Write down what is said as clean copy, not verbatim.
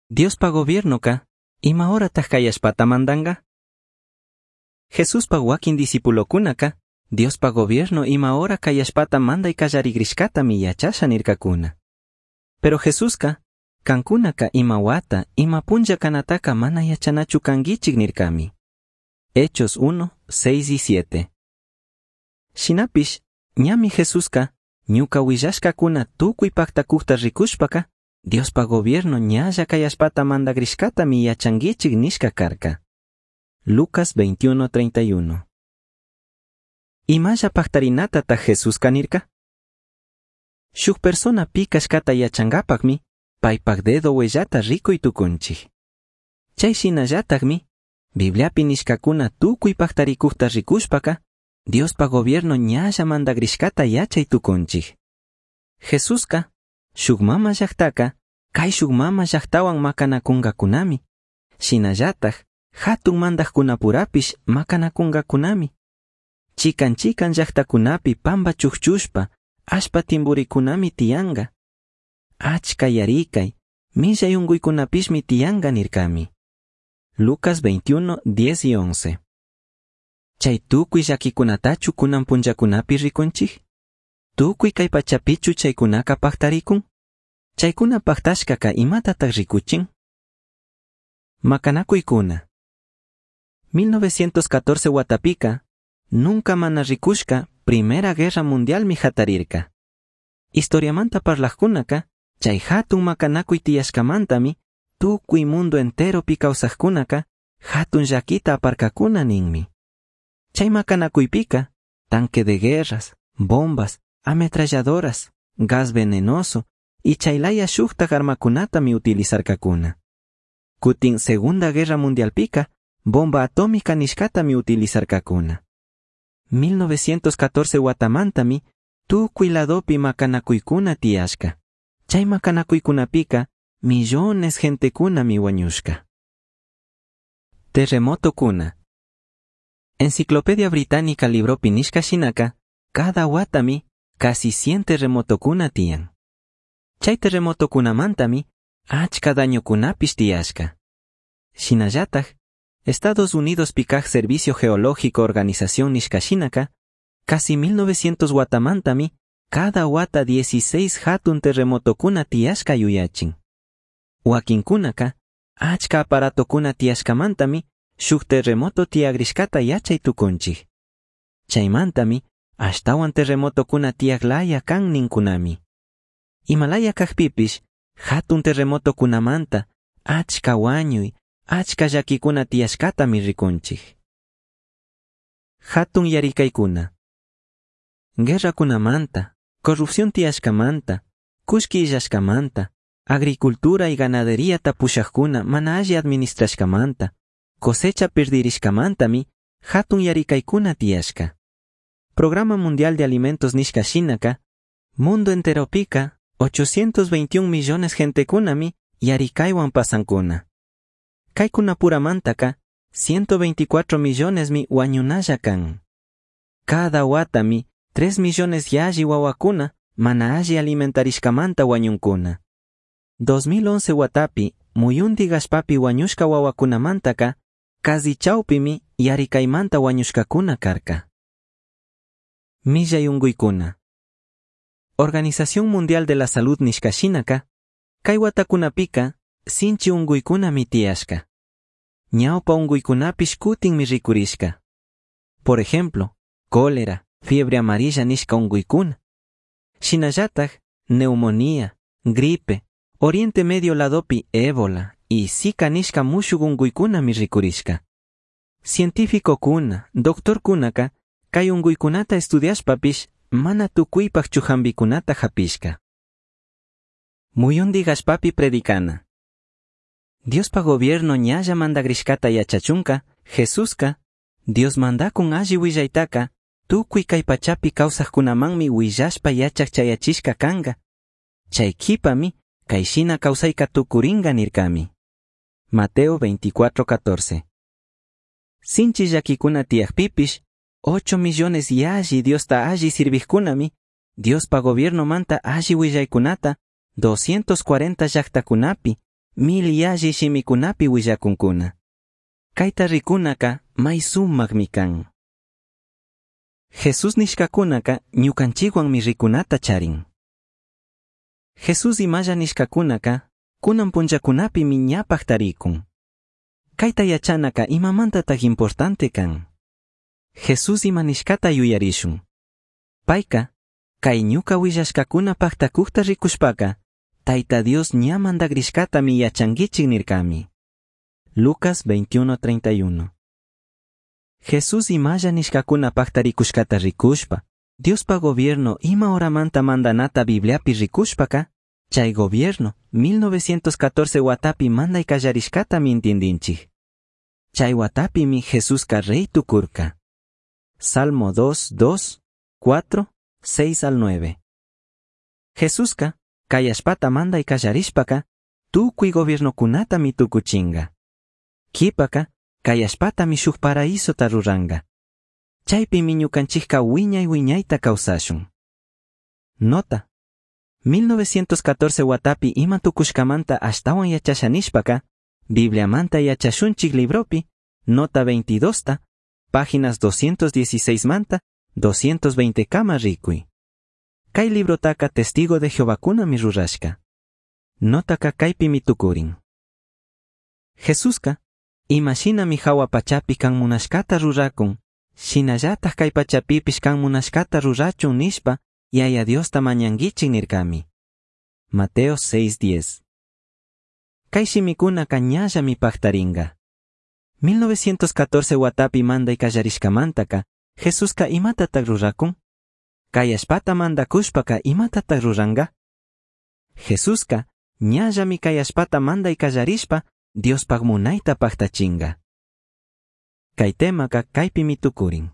Diospa gobiernoca ima horataj cai allpata mandanga? Jesuspa huaquin discipulocunaca Diospa gobierno ima hora cai allpata mandai callarigrishcatami yachasha nircacuna. Pero Jesusca, cancunaca ima huata, ima punlla canataca mana yachanachu canguichij nircami. Hechos 1, 6 y 7. Shinapish, ñami Jesusca, ñuca huillashcacuna tucui pactacujta ricushpaca, Diospa gobierno ñalla cai allpata mandagrishcatami yachanguichij nishca carca. Lucas 21:31. Imalla pactarinatataj Jesusca nirca? Shuj persona pi cashcata yachangapajmi, paipaj dedo huellata ricui tucunchij. Chai shinallatajmi, Bibliapi nishcacuna tucui pactaricujta ricushpaca, Diospa gobierno ñalla mandagrishcata yachai tucunchij. Jesusca, shuj mama llajtaca, caishuj mama llajtahuan macanacungacunami. Shinallataj, jatun mandajcunapurapish macanacungacunami. Chican chican llajtacunapi pamba chujchushpa, allpa timburicunami tiyanga. Achca yaricai, millai ungüicunapishmi tiyanga nircami. Lucas 21, 10 y 11. Chai tucui llaquicunatachu cunan punllacunapi ricunchij? Tucui cai pachapichu chaicunaca pactaricun? Chaicuna pactashcaca imatataj ricuchin? Macanacuicuna. 1914 huatapica, nunca mana ricushca Primera Guerra Mundialmi jatarirca. Historiamanta parlajcunaca, chay jatun macanacuy tiyashcamantami, tucui mundo enteropi causajcunaca, jatun llaquita aparcacuna ninmi. Chay macanacuypica, tanque de guerras, bombas, ametralladoras, gas venenoso y chaylaya shujtaj armacunatami utilizarcacuna. Cutin Segunda Guerra Mundialpica, bomba atómica nishcatami utilizarcacuna. 1914 huatamantami, tucui ladopi macanacuicuna tiyashca. Chay macanacuycunapika, millones gentecunami huañushca. Terremotocuna. Enciclopedia Británica libropi nishca shinaka, cada huatami, casi 100 terremotocuna tiyan. Chay terremotocunamantami, achka dañocunapish tiyashca. Shinallataj, Estados Unidos pikaj Servicio Geológico Organización nishca shinaka, casi 1900 huatamantami, cada huata 16 jatun terremotocuna tiyashca yuyachin. Huaquincunaka, achka aparatocuna tiyashcamantami, shuj terremoto tiyagrishcata yachay tucunchij. Chaymantami, ashtawan terremotocuna tiyaglaya kan ninkunami. Imalaya kajpipish, jatun terremotocunamanta, achka huañuy, achka llaquicuna tiyashcatami ricunchij. Jatun yaricaicuna. Guerracunamanta, corrupción tiyashcamanta, cullqui illashcamanta, agricultura y ganadería pushajcuna mana alli administrashcamanta, cosecha pirdirishcamantami, jatun yaricaicuna tiyashca. Programa Mundial de Alimentos nishca shinaka, mundo enteropica, 821 millones gentecunami yaricaiwan pasancuna. Caycunapuramantaka, 124 millonesmi huañunalla kan. Cada huatami, 3 millones yalli wawakuna mana alli alimentarishcamanta huañuncuna. 2011 huatapi, muyundi allpapi huañushca wawakunamantaka, casi chaupimi yaricaimanta huañushcacuna carca. Millay ungüicuna. Organización Mundial de la Salud nishca shinaka, kay watakunapika, sinchi ungüicunami tiyashca. Ñawpa ungüicunapish kutinmi rikurishka. Por ejemplo, cólera, fiebre amarilla nishca ungüicuna. Shinallataj, neumonía, gripe, Oriente Medio ladopi ébola y Zika nishca mushuk ungüicunami rikurishka. Científicocuna, doctorcunaka, kay ungüicunata estudiashpapish mana tucuipaj jambicunata japishka. Muyundi allpapi predicana. Diospa gobierno ñalla mandagrishcata yachachunka, Jesuska, Dios mandacun alli willaytaka, tucui kay pachapi kawsajkunamanmi willashpa yachaj chayachishka kanga. Chay kipami, kay shina kawsayka tukuringa nirkami. Mateo 24:14. Sinchi llaquicuna tiyajpipish, 8 millones yalli Diosta alli sirvijkunami, Diospa gobierno manta alli willaykunata, 240 llajtakunapi, mil yalli shimicunapi huillacuncuna. Caita ricunaca may sumajmi can. Jesús nishcacunaca ñucanchikhuanmi ricunata charin. Jesús imalla nishcacunaca cunan punllacunapimi ña pajtaricun. Caita yachanaca imamantataj importante can. Jesús ima nishcata yuyarishun. Paica, cai ñuca huillashcacuna pajtacujta ricushpaca, Taita Dios ña mandagrishcatami yachanguichik nircami. Lucas 21:31. Jesús imalla nishcacuna pajtaricushcata ricushpa, Diospa gobierno ima horamanta mandanata Bibliapi ricushpaca, chay gobierno 1914 huatapi mandai callarishcatami intindinchik. Chay huatapimi Jesusca rey tucurca. Salmo 2, 2, 4, 6 al 9. Jesusca, kay allpata mandai callarishpaca, tucui gobiernocunatami tucuchinga. Quipaka, kay allpatami shuk paraísota ruranga. Chaypimi ñukanchikka wiñay wiñayta kawsashun. Nota. 1914 watapi ima tukushkamanta ashtawan yachasha nishpaka, Bibliamanta yachashunchik libropi, nota 22 ta, páginas 216 manta, 220 kama ricui. Kay librotaka testigo de Jehovacunami rurashka. Notaka kaypimi tukurin. Jesuska, imashinami hawa pachapi kan munashkata rurakun, shinallataj kay pachapipish kan munashkata rurachun nishpa, Yaya Diosta mañanguichik nirkami. Mateo 6:10. Kay shimikunaka ñallami pajtaringa. 1914 watapi manday kallarishkamantaka, Jesuska imatatak rurakun? Kay allpata mandakushpaka imatatak ruranga? Jesuska ñallami kay allpata manday kallarishpa, Diospaj munayta pajtachinga. Kay temaka kaypimi tukurin.